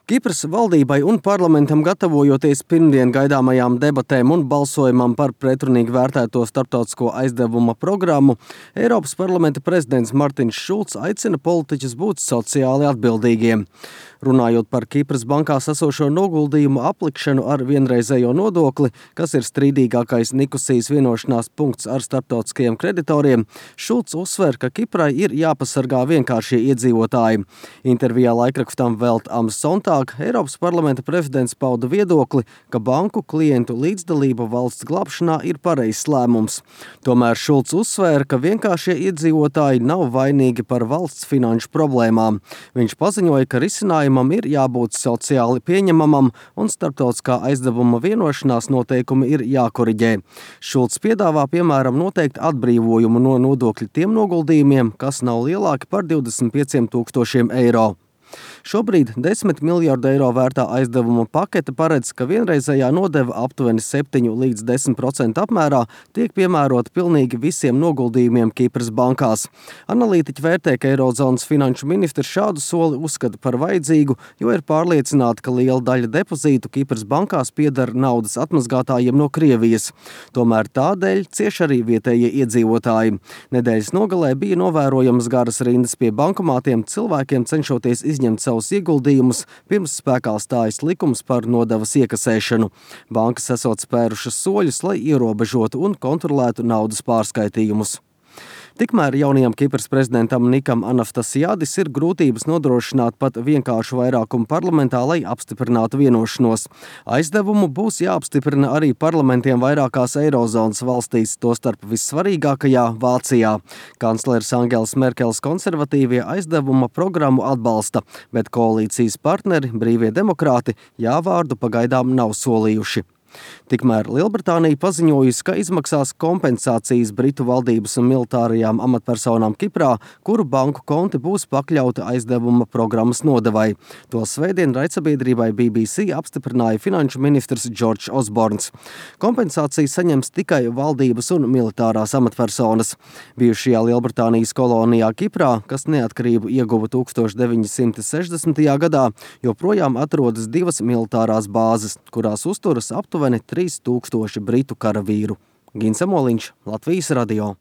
Kipras valdībai un parlamentam gatavojoties pirmdien gaidāmajām debatēm un balsojumam par pretrunīgi vērtēto starptautisko aizdevuma programmu, Eiropas parlamenta prezidents Martins Šulcs aicina politiķus būt sociāli atbildīgiem. Runājot par Kipras bankās esošo noguldījumu aplikšanu ar vienreizējo nodokli, kas ir strīdīgākais Nikosijas vienošanās punkts ar starptautiskajiem kreditoriem, Šulcs uzsver, ka Kiprai ir jāpasargā vienkāršie iedzīvotāji. Intervijā laikrakstam Welt am Sonntag Eiropas parlamenta prezidents pauda viedokli, ka banku klientu līdzdalība valsts glābšanā ir pareizs lēmums. Tomēr Šulcs uzsvēra, ka vienkāršie iedzīvotāji nav vainīgi par valsts finanšu problēmām. Viņš paziņoja, ka risinājumam ir jābūt sociāli pieņemamam un starptautiskā aizdevuma vienošanās noteikumi ir jākoriģē. Šulcs piedāvā piemēram noteikt atbrīvojumu no nodokļu tiem noguldījumiem, kas nav lielāki par 25 000 eiro. Šobrīd 10 miljardu eiro vērtā aizdevuma pakete paredz, ka vienreizējā nodeva aptuveni 7 līdz 10% apmērā tiek piemērota pilnīgi visiem noguldījumiem Kipras bankās. Analītiķi vērtē, ka Eirozonas finanšu ministrs šādu soli uzskata par vajadzīgu, jo ir pārliecināti, ka liela daļa depozītu Kipras bankās pieder naudas atmazgātājiem no Krievijas. Tomēr tādēļ cieš arī vietējie iedzīvotāji. Nedēļas nogalē bija novērojamas garas rindas pie bankomātiem, cilvēkiem cenšoties izņemt savus ieguldījumus, pirms spēkā stājas likums par nodevas iekasēšanu. Bankas esot spērušas soļus, lai ierobežotu un kontrolētu naudas pārskaitījumus. Tikmēr jaunajam Kipras prezidentam Nikam Anastasiadis ir grūtības nodrošināt pat vienkāršu vairākumu parlamentā, lai apstiprinātu vienošanos. Aizdevumu būs jāapstiprina arī parlamentiem vairākās Eirozonas valstīs, tostarp vissvarīgākajā Vācijā. Kanclers Angels Merkels konservatīvie aizdevuma programmu atbalsta, bet koalīcijas partneri, brīvie demokrāti, jā vārdu pagaidām nav solījuši. Tikmēr Lielbritānija paziņojusi, ka izmaksās kompensācijas Britu valdības un militārajām amatpersonām Kiprā, kuru banku konti būs pakļauti aizdevuma programmas nodevai. To svētdien raidsabiedrībai BBC apstiprināja finanšu ministrs Džordžs Osborns. Kompensāciju saņems tikai valdības un militārās amatpersonas. Bijušajā Lielbritānijas kolonijā Kiprā, kas neatkarību ieguva 1960. gadā, joprojām atrodas 2 militārās bāzes, kurās uzturas aptuveni 3000 britu karavīru. Gins Amoliņš, Latvijas radio.